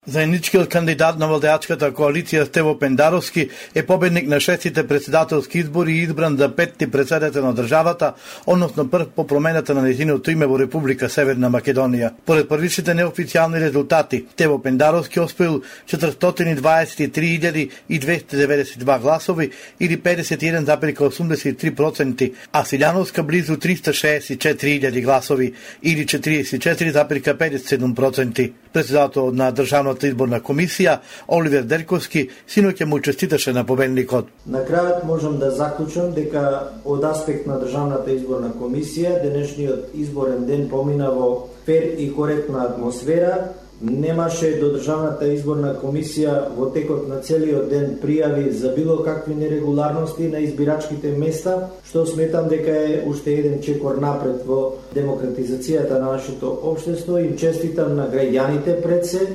Заедничкиот кандидат на владеачката коалиција Стево Пендаровски е победник на 6-тите председателски избори и избран за 5-ти председател на државата, односно прв по промената на нејзиното име во Република Северна Македонија. Поред првичните неофицијални резултати, Стево Пендаровски освоил 423.292 гласови или 51,83%, а Силјановска близу 364.000 гласови или 44,57%. Председател на Државната изборна комисија Оливер Дерковски синоќа му честиташе на победникот. На крајот можам да заклучам дека од аспект на Државната изборна комисија денешниот изборен ден помина во фер и коректна атмосфера. Немаше до Државната изборна комисија во текот на целиот ден пријави за било какви нерегуларности на избирачките места, што сметам дека е уште еден чекор напред во демократизацијата на нашето општество. Им честитам на граѓаните пред се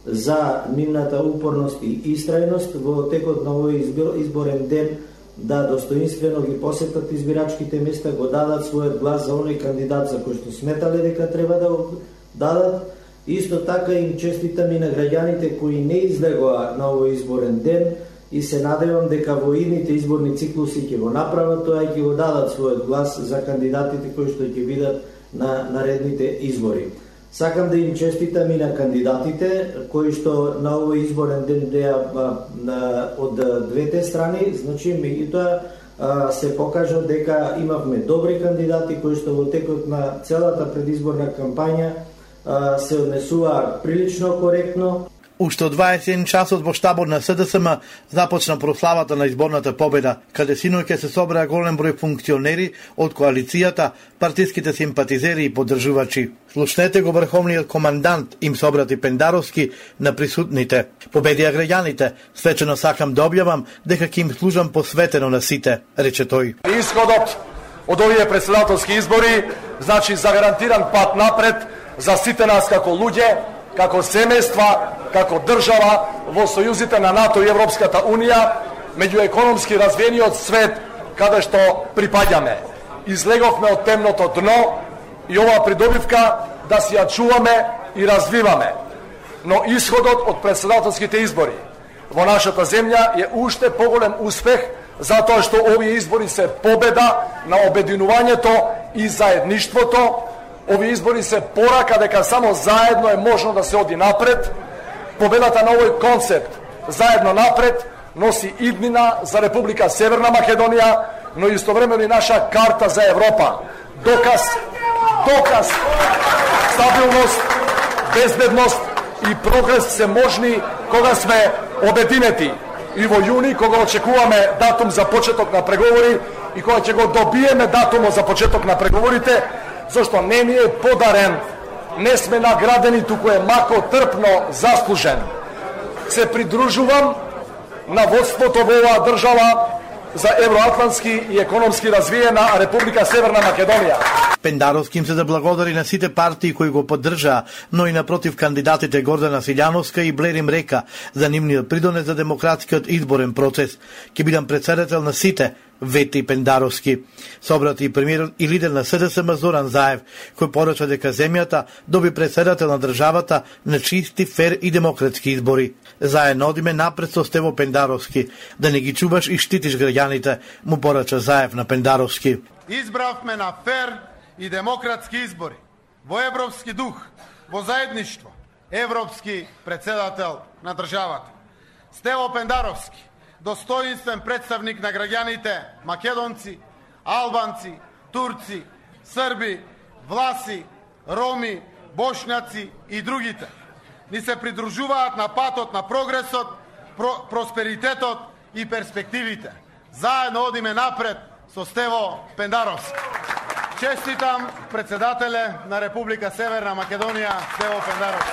за нивната упорност и истрајност во текот на овој изборен ден да достоинствено ги посетат избирачките места, го дадат својот глас за оној кандидат за кој што сметале дека треба да го дадат. Исто така им честитам и на граѓаните кои не излегоа на овој изборен ден и се надевам дека во идните изборни циклуси ќе го направат тоа и ќе го дадат својот глас за кандидатите кои што ќе бидат на наредните избори. Сакам да им честитам и на кандидатите кои што на овој изборен ден беа од двете страни, значи меѓутоа се покажа дека имавме добри кандидати кои што во текот на целата предизборна кампања се однесува прилично коректно. Уште од 21 часот во штабот на СДСМ започна прославата на изборната победа, каде синоќа се собраа голем број функционери од коалицијата, партиските симпатизери и поддржувачи. Слушнете го врховниот командант им собрати Пендаровски на присутните. Победија граѓаните, свечено сакам да објавам дека ќе им служам посветено на сите, рече тој. Исходот од овие председателски избори значи загарантиран пат напред за сите нас како луѓе, како семејства, како држава во сојузите на НАТО и Европската Унија, меѓу економски развиениот свет каде што припаѓаме. Излеговме од темното дно и оваа придобивка да си ја чуваме и развиваме. Но исходот од председателските избори во нашата земја е уште поголем успех затоа што овие избори се победа на обединувањето и заедништвото. Овие избори се порака дека само заедно е можно да се оди напред. Победата на овој концепт заедно напред носи иднина за Република Северна Македонија, но истовремено и наша карта за Европа. Доказ, стабилност, безбедност и прогрес се можни кога сме обединети. И во јуни, кога очекуваме датум за почеток на преговори и кога ќе го добиеме датумот за почеток на преговорите, зашто не ни е подарен, не сме наградени, туку е мако трпно заслужен. Се придружувам на водството во оваа држава за евроатлантски и економски развиена Република Северна Македонија. Пендаровски им се заблагодари на сите партии кои го поддржаа, но и напротив кандидатите Гордана Силјановска и Блерим Река за нивниот придонес за демократскиот изборен процес. Ќе бидам председател на сите, вети Пендаровски. Собрати и премиерот и лидер на СДСМ Зоран Заев, кој порача дека земјата доби председател на државата на чисти, фер и демократски избори. Заедно одиме напред со Стево Пендаровски, да не ги чуваш и штитиш граѓаните, му порача Заев на Пендаровски. Избравме на фер и демократски избори, во европски дух, во заедништво, европски председател на државата. Стево Пендаровски, достоинствен представник на граѓаните македонци, албанци, турци, срби, власи, роми, бошњаци и другите, ни се придружуваат на патот на прогресот, просперитетот и перспективите. Заедно одиме напред со Стево Пендаровски. Честитам председателе на Република Северна Македонија Стево Пендаровски.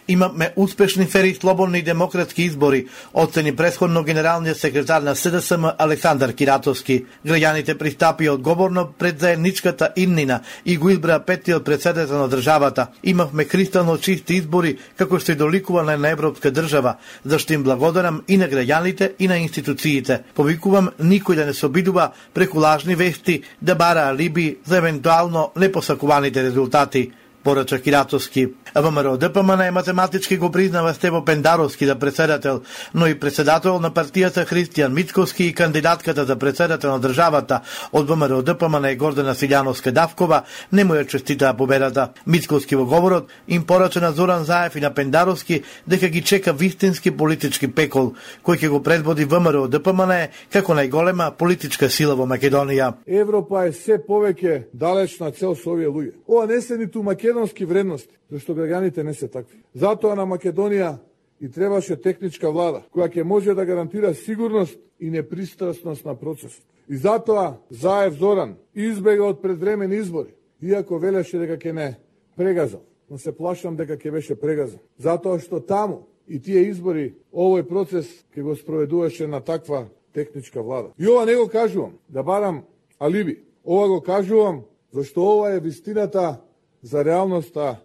Имаме успешни, фери, слободни и демократски избори, оцени претходно генералниот секретар на СДСМ Александар Киратовски. Граѓаните пристапија одговорно пред заедничката иднина и го избраа петтиот председател на државата. Имавме кристално чисти избори, како што и доликува на една европска држава, зашто им благодарам и на граѓаните и на институциите. Повикувам никој да не се обидува преку лажни вести да бара алиби за евентуално непосакуваните резултати, порача Киратовски. ВМРО ДПМН математички го признава Стево Пендаровски за председател, но и председател на партијата Христијан Мицковски и кандидатката за председател на државата од ВМРО ДПМН Гордана Силјановска-Давкова не му ја честитаа победата. Мицковски во говорот им порача на Зоран Заев и на Пендаровски дека ги чека вистински политички пекол, кој ќе го предводи ВМРО ДПМН како најголема политичка сила во Македонија. Европа е се повеќе далечна цел со овие луѓе. Ова не се ниту македонски вредности, зашто граѓаните не се такви. Затоа на Македонија и требаше техничка влада, која ќе може да гарантира сигурност и непристрасност на процесот. И затоа Заев Зоран избега од предвремени избори, иако велеше дека ќе не прегазал. Но се плашам дека ќе беше прегазан. Затоа што таму и тие избори, овој процес ќе го спроведуваше на таква техничка влада. И ова не го кажувам да барам алиби. Ова го кажувам зашто ова е вистината за реалноста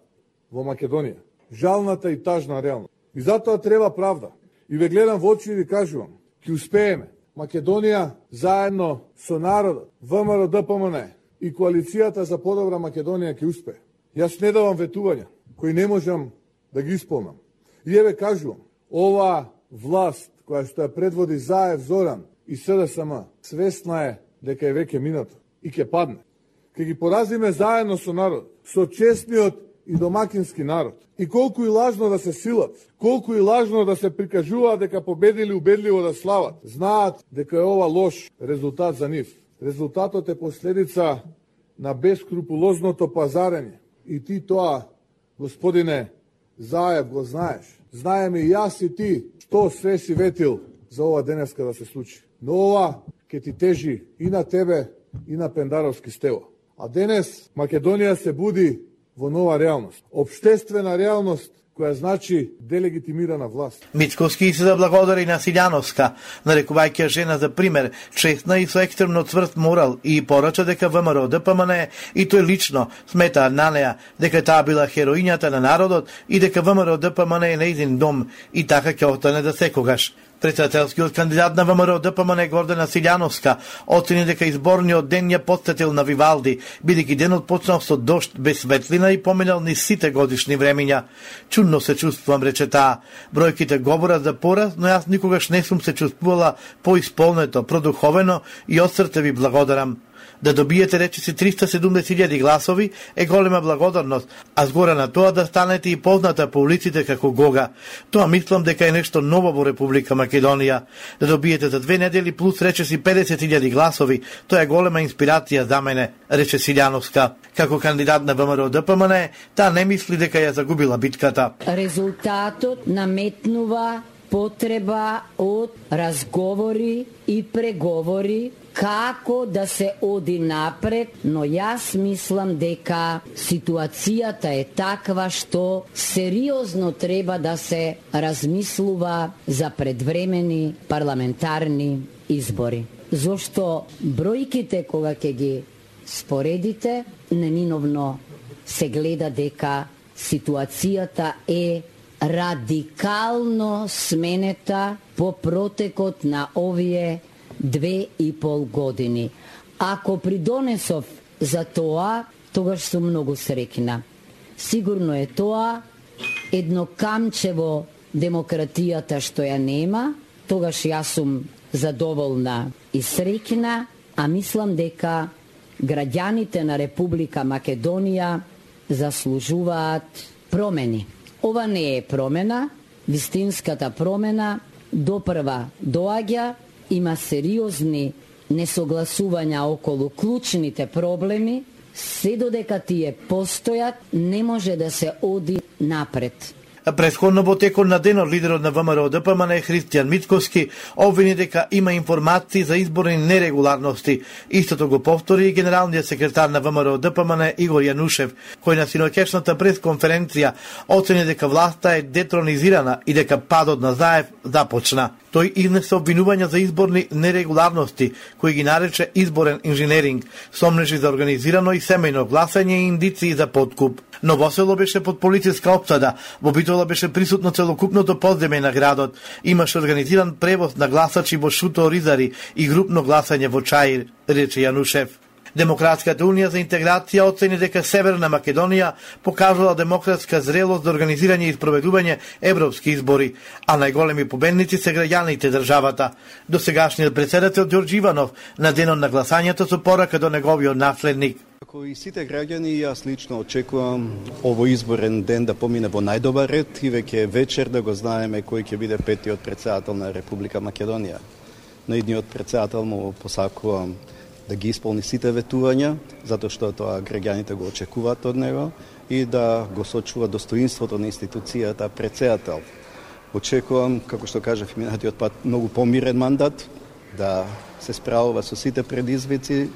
во Македонија. Жалната и тажна реалност. И затоа треба правда. И ве гледам во очи и ви кажувам, ќе успееме. Македонија заедно со народот, ВМРО ДПМН и коалицијата за подобра Македонија ќе успее. Јас не давам ветувања кои не можам да ги исполнам. И еве кажувам, ова власт која што ја предводи Заев Зоран и СДСМ, свесна е дека е веќе минато и ќе падне. Ке ги поразиме заедно со народ, со честниот и домакински народ. И колку и лажно да се силат, колку и лажно да се прикажуваат дека победили убедливо да слават, знаат дека е ова лош резултат за нив. Резултатот е последица на бескрупулозното пазарење. И ти тоа, господине Заев, го знаеш. Знаеме и јас и ти што све си ветил за ова денеска да се случи. Но ова ќе ти тежи и на тебе и на Пендаровски Стево. А денес Македонија се буди во нова реалност. Обштествена реалност која значи делегитимирана власт. Мицковски се заблагодари на Силјановска, нарекувајќи жена за пример, честна и со екстремно цврст морал и порача дека ВМРО ДПМН и тој лично смета на неа дека таа била хероињата на народот и дека ВМРО ДПМН е нејзин дом и така ќе остане за секогаш. Председателскиот кандидат на ВМРО ДПМН Гордана Силјановска оцени дека изборниот ден ја потсетил на Вивалди, бидејќи денот почнал со дожд без светлина и поминал низ сите годишни времиња. Чудно се чувствувам, рече таа. Бројките говорат за пораз, но јас никогаш не сум се чувствувала поисполнето, продуховено и од срце ви благодарам. Да добиете речиси 370.000 гласови е голема благодарност, а згора на тоа да станете и позната по улиците како Гога. Тоа мислам дека е нешто ново во Република Македонија. Да добиете за 2 недели плюс речиси 50.000 гласови, тоа е голема инспирација за мене, рече Силјановска. Како кандидат на ВМРО ДПМН, таа не мисли дека ја загубила битката. Резултатот наметнува потреба од разговори и преговори како да се оди напред, но јас мислам дека ситуацијата е таква што сериозно треба да се размислува за предвремени парламентарни избори. Зошто бројките кога ќе ги споредите, неминовно се гледа дека ситуацијата е радикално сменета по протекот на овие 2,5 години. Ако придонесов за тоа, тогаш сум многу среќна. Сигурно е тоа едно камче во демократијата што ја нема, тогаш јас сум задоволна и среќна, а мислам дека граѓаните на Република Македонија заслужуваат промени. Ова не е промена, вистинската промена допрва доаѓа, има сериозни несогласувања околу клучните проблеми, се додека тие постојат, не може да се оди напред. Претходно во текот на денот лидерот на ВМРО ДПМН Христијан Мицковски обвини дека има информации за изборни нерегуларности. Истото го повтори и генералниот секретар на ВМРО ДПМН Игор Јанушев, кој на синоќешната пресконференција оцени дека власта е детронизирана и дека падот на Заев започна. Тој изнесе обвинувања за изборни нерегуларности, кои ги нарече изборен инженеринг, сомнежи за организирано и семејно гласање и индиции за подкуп. Новосело беше под полициска опсада, во Битола беше присутно целокупното подземје на градот, имаше организиран превоз на гласачи во Шуто Ризари и групно гласање во Чаир, рече Јанушев. Демократската унија за интеграција оцени дека Северна Македонија покажала демократска зрелост за организирање и спроведување европски избори, а најголеми победници се граѓаните државата. Досегашниот претседател Ѓорѓе Иванов на денот на гласањето со порака до неговиот наследник. Како и сите граѓани, јас лично очекувам овој изборен ден да помине во најдобар ред и веќе вечер да го знаеме кој ќе биде петиот претседател на Република Македонија. На идниот претседател му посакувам да ги исполни сите ветувања, затоа што тоа граѓаните го очекуваат од него, и да го сочува достоинството на институцијата претседател. Очекувам, како што кажав минатиот пат, многу помирен мандат, да се справува со сите предизвици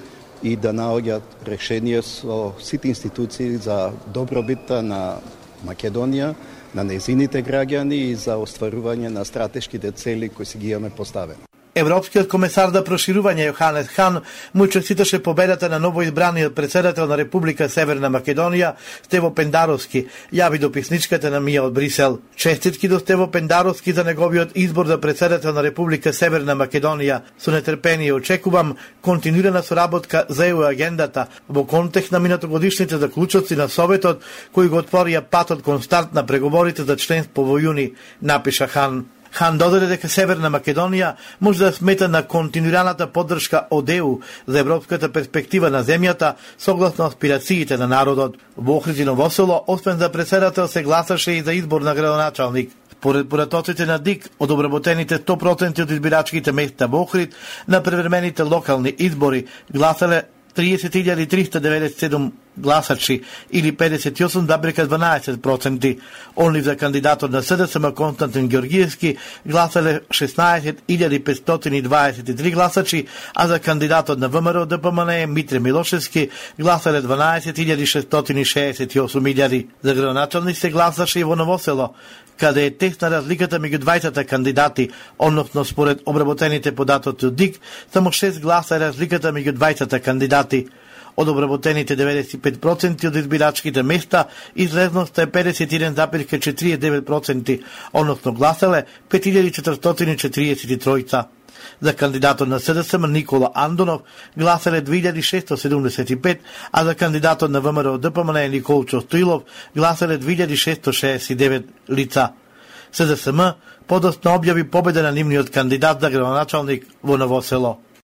и да наоѓаат решение со сите институции за добробитта на Македонија, на нејзините граѓани и за остварување на стратешките цели кои си ги имаме поставени. Европскиот комесар за проширување Јоханес Хан му честиташе победата на новоизбраниот претседател на Република Северна Македонија Стево Пендаровски, јави дописничката на Мија од Брисел. Честитки до Стево Пендаровски за неговиот избор за претседател на Република Северна Македонија. Со нетрпение очекувам континуирана соработка за ЕУ агендата во контекст на минатогодишните заклучоци на Советот кои го отворија патот кон старт на преговорите за членство во јуни, напиша Хан. Хан додаде дека Северна Македонија може да смета на континуираната поддршка од ЕУ за европската перспектива на земјата согласно аспирациите на народот. Во Охрид и Новосело, освен за претседател, се гласаше и за избор на градоначалник. Според поратоците на ДИК, од обработените 100% од избирачките места во Охрид, на превремените локални избори гласале 30.397 гласачи или 58,12%. Онли за кандидатот на СДСМ Константин Ѓорѓиевски гласале 16.523 гласачи, а за кандидатот на ВМРО ДПМН Митре Милошевски гласале 12.668. За градоначалник се гласаше и во Новосело, каде е тесна разликата меѓу двајцата кандидати, односно според обработените податоци од ДИК, само 6 гласа е разликата меѓу двајцата кандидати. Од обработените 95% од избирачките места, излезноста е 51,49%, односно гласале 5443. За кандидатот на СДСМ Никола Андонов гласале 2675, а за кандидатот на ВМРО ДПМН Николчо Стоилов гласале 2669 лица. СДСМ подоцна објави победа на нивниот кандидат за градоначалник во Новосело.